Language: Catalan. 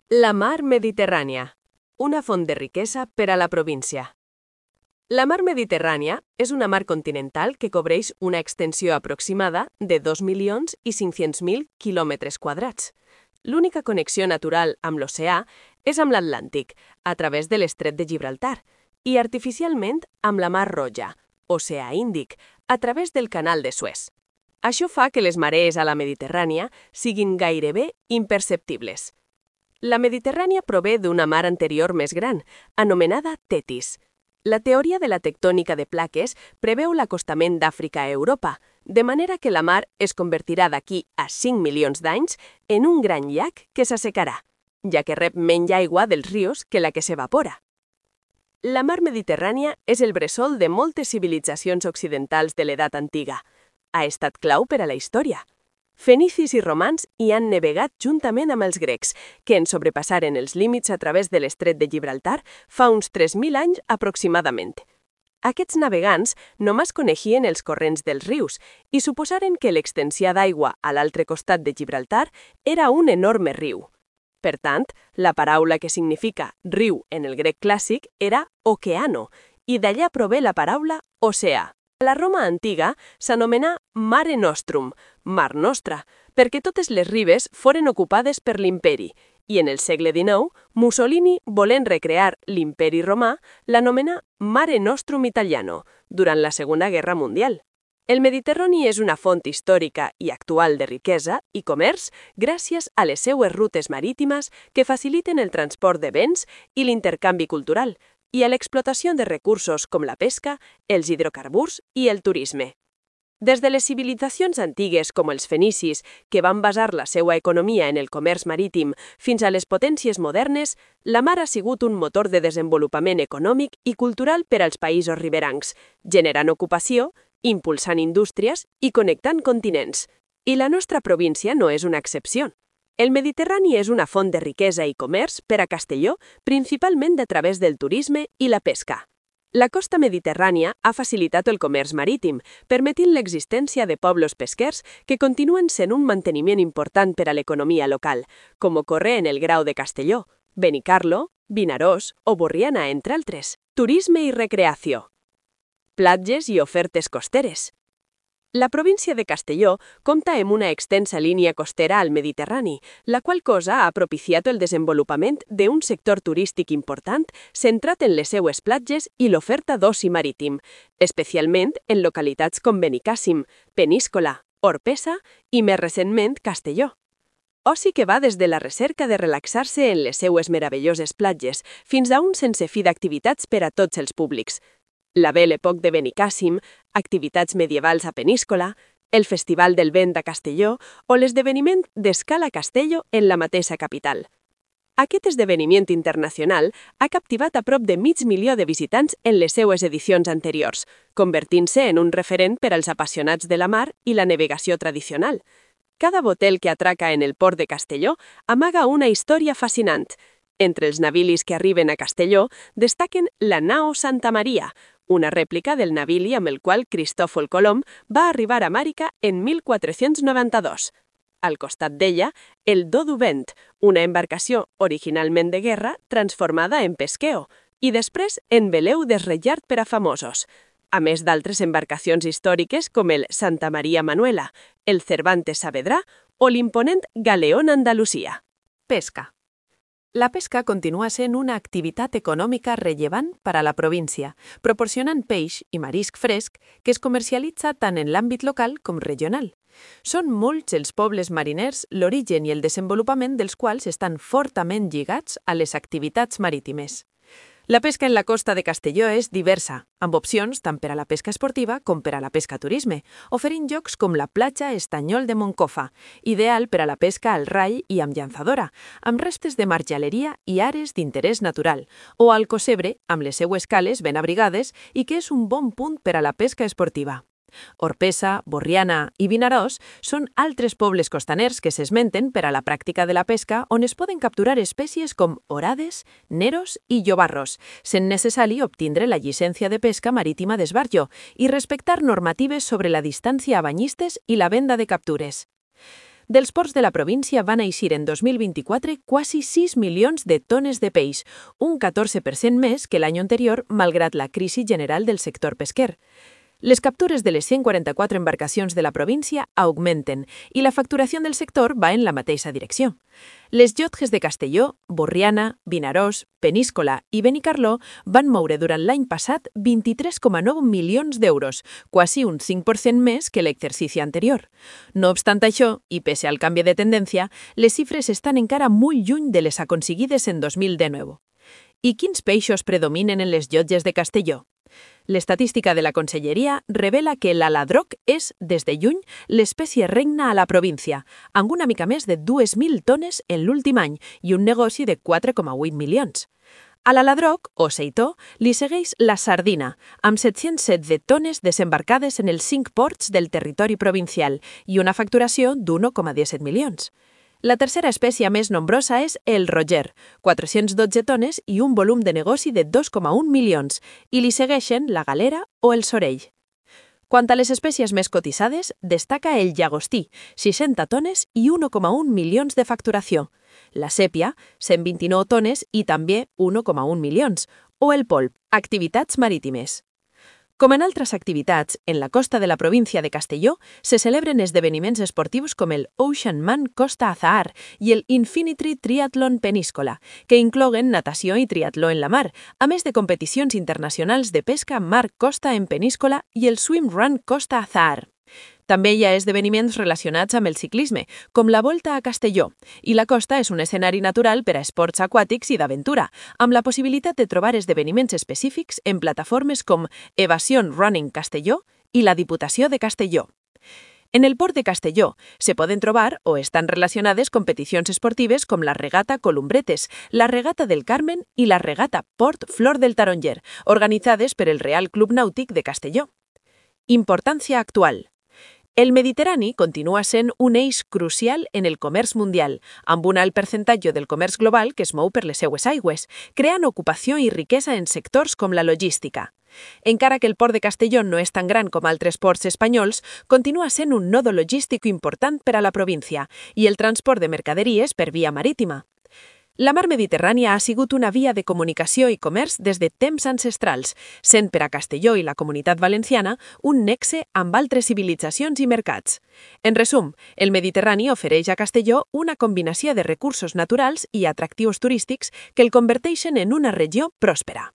La mar Mediterrània, una font de riquesa per a la província. La mar Mediterrània és una mar continental que cobreix una extensió aproximada de 2.500.000 quilòmetres quadrats. L'única connexió natural amb l'oceà és amb l'Atlàntic, a través de l'Estret de Gibraltar, i artificialment amb la Mar Roja, oceà Índic, a través del Canal de Suez. Això fa que les marees a la Mediterrània siguin gairebé imperceptibles. La Mediterrània prové d'una mar anterior més gran, anomenada Tetis. La teoria de la tectònica de plaques preveu l'acostament d'Àfrica a Europa, de manera que la mar es convertirà d'aquí a 5 milions d'anys en un gran llac que s'assecarà, ja que rep menys aigua dels rius que la que s'evapora. La mar Mediterrània és el bressol de moltes civilitzacions occidentals de l'edat antiga. Ha estat clau per a la història. Fenicis i romans hi han navegat juntament amb els grecs, que en sobrepassaren els límits a través de l'Estret de Gibraltar fa uns 3.000 anys aproximadament. Aquests navegants només coneixien els corrents dels rius i suposaren que l'extensió d'aigua a l'altre costat de Gibraltar era un enorme riu. Per tant, la paraula que significa riu en el grec clàssic era oceano, i d'allà prové la paraula oceà. A la Roma antiga s'anomenà Mare Nostrum, Mar Nostra, perquè totes les ribes foren ocupades per l'imperi, i en el segle XIX, Mussolini, volent recrear l'imperi romà, l'anomenà Mare Nostrum Italiano, durant la Segona Guerra Mundial. El Mediterrani és una font històrica i actual de riquesa i comerç gràcies a les seues rutes marítimes que faciliten el transport de béns i l'intercanvi cultural, i a l'explotació de recursos com la pesca, els hidrocarburs i el turisme. Des de les civilitzacions antigues com els fenicis, que van basar la seva economia en el comerç marítim, fins a les potències modernes, la mar ha sigut un motor de desenvolupament econòmic i cultural per als països riberancs, generant ocupació, impulsant indústries i connectant continents. I la nostra província no és una excepció. El Mediterrani és una font de riquesa i comerç per a Castelló, principalment a través del turisme i la pesca. La costa mediterrània ha facilitat el comerç marítim, permetint l'existència de pobles pesquers que continuen sent un manteniment important per a l'economia local, com ocorre en el Grau de Castelló, Benicarlo, Vinaròs o Borriana, entre altres. Turisme i recreació. Platges i ofertes costeres. La província de Castelló compta amb una extensa línia costera al Mediterrani, la qual cosa ha propiciat el desenvolupament d'un sector turístic important centrat en les seues platges i l'oferta d'oci marítim, especialment en localitats com Benicàssim, Peníscola, Orpesa i, més recentment, Castelló. Oci que va des de la recerca de relaxar-se en les seues meravelloses platges fins a un sense fi d'activitats per a tots els públics. La Belle Époque de Benicàssim, activitats medievals a Peníscola, el Festival del Vent a Castelló o l'esdeveniment d'Escala Castello en la mateixa capital. Aquest esdeveniment internacional ha captivat a prop de 500.000 de visitants en les seues edicions anteriors, convertint-se en un referent per als apassionats de la mar i la navegació tradicional. Cada botel que atraca en el port de Castelló amaga una història fascinant. Entre els navilis que arriben a Castelló destaquen la nao Santa Maria, una rèplica del navili amb el qual Cristòfol Colom va arribar a Amèrica en 1492. Al costat d'ella, el Do du Vent, una embarcació originalment de guerra transformada en pesqueo i després en veleu desrellat per a famosos, a més d'altres embarcacions històriques com el Santa Maria Manuela, el Cervantes Saavedra o l'imponent Galeón Andalusia. Pesca. La pesca continua sent una activitat econòmica rellevant per a la província, proporcionant peix i marisc fresc que es comercialitza tant en l'àmbit local com regional. Són molts els pobles mariners l'origen i el desenvolupament dels quals estan fortament lligats a les activitats marítimes. La pesca en la costa de Castelló és diversa, amb opcions tant per a la pesca esportiva com per a la pesca turisme, oferint llocs com la platja Estanyol de Moncofa, ideal per a la pesca al rai i amb llançadora, amb restes de marjaleria i àrees d'interès natural, o al Cosebre, amb les seues cales ben abrigades i que és un bon punt per a la pesca esportiva. Orpesa, Borriana i Vinaròs són altres pobles costaners que s'esmenten per a la pràctica de la pesca on es poden capturar espècies com orades, neros i llobarros, sent necessari obtindre la llicència de pesca marítima d'esbarjo i respectar normatives sobre la distància a banyistes i la venda de captures. Dels ports de la província van eixir en 2024 quasi 6 milions de tones de peix, un 14% més que l'any anterior, malgrat la crisi general del sector pesquer. Les captures de les 144 embarcacions de la província augmenten i la facturació del sector va en la mateixa direcció. Les llotges de Castelló, Borriana, Vinaròs, Peníscola i Benicarló van moure durant l'any passat 23,9 milions d'euros, quasi un 5% més que l'exercici anterior. No obstant això, i pese al canvi de tendència, les xifres estan encara molt lluny de les aconseguides en 2019. I quins peixos predominen en les llotges de Castelló? L'estadística de la Conselleria revela que l'aladroc és, des de juny, l'espècie regna a la província, amb una mica més de 2.000 tones en l'últim any i un negoci de 4,8 milions. A l'aladroc, o seitó, li segueix la sardina, amb 716 tones desembarcades en els 5 ports del territori provincial i una facturació d'1,17 milions. La tercera espècie més nombrosa és el roger, 412 tones i un volum de negoci de 2,1 milions, i li segueixen la galera o el sorell. Quant a les espècies més cotitzades, destaca el llagostí, 60 tones i 1,1 milions de facturació, la sèpia, 129 tones i també 1,1 milions, o el polp, activitats marítimes. Com en altres activitats, en la costa de la província de Castelló se celebren esdeveniments esportius com el Ocean Man Costa Azahar i el Infinity Triathlon Peníscola, que inclouen natació i triatló en la mar, a més de competicions internacionals de pesca mar-costa en Peníscola i el Swim Run Costa Azahar. També hi ha esdeveniments relacionats amb el ciclisme, com la Volta a Castelló, i la costa és un escenari natural per a esports aquàtics i d'aventura, amb la possibilitat de trobar esdeveniments específics en plataformes com Evasion Running Castelló i la Diputació de Castelló. En el port de Castelló se poden trobar o estan relacionades competicions esportives com la regata Columbretes, la regata del Carmen i la regata Port Flor del Taronger, organitzades per el Real Club Nàutic de Castelló. Importància actual. El Mediterrani continua sent un eix crucial en el comerç mundial, amb un alt percentatge del comerç global que es mou per les seues aigües, creant ocupació i riquesa en sectors com la logística. Encara que el port de Castelló no és tan gran com altres ports espanyols, continua sent un nodo logístic important per a la província i el transport de mercaderies per via marítima. La mar Mediterrània ha sigut una via de comunicació i comerç des de temps ancestrals, sent per a Castelló i la Comunitat Valenciana un nexe amb altres civilitzacions i mercats. En resum, el Mediterrani ofereix a Castelló una combinació de recursos naturals i atractius turístics que el converteixen en una regió pròspera.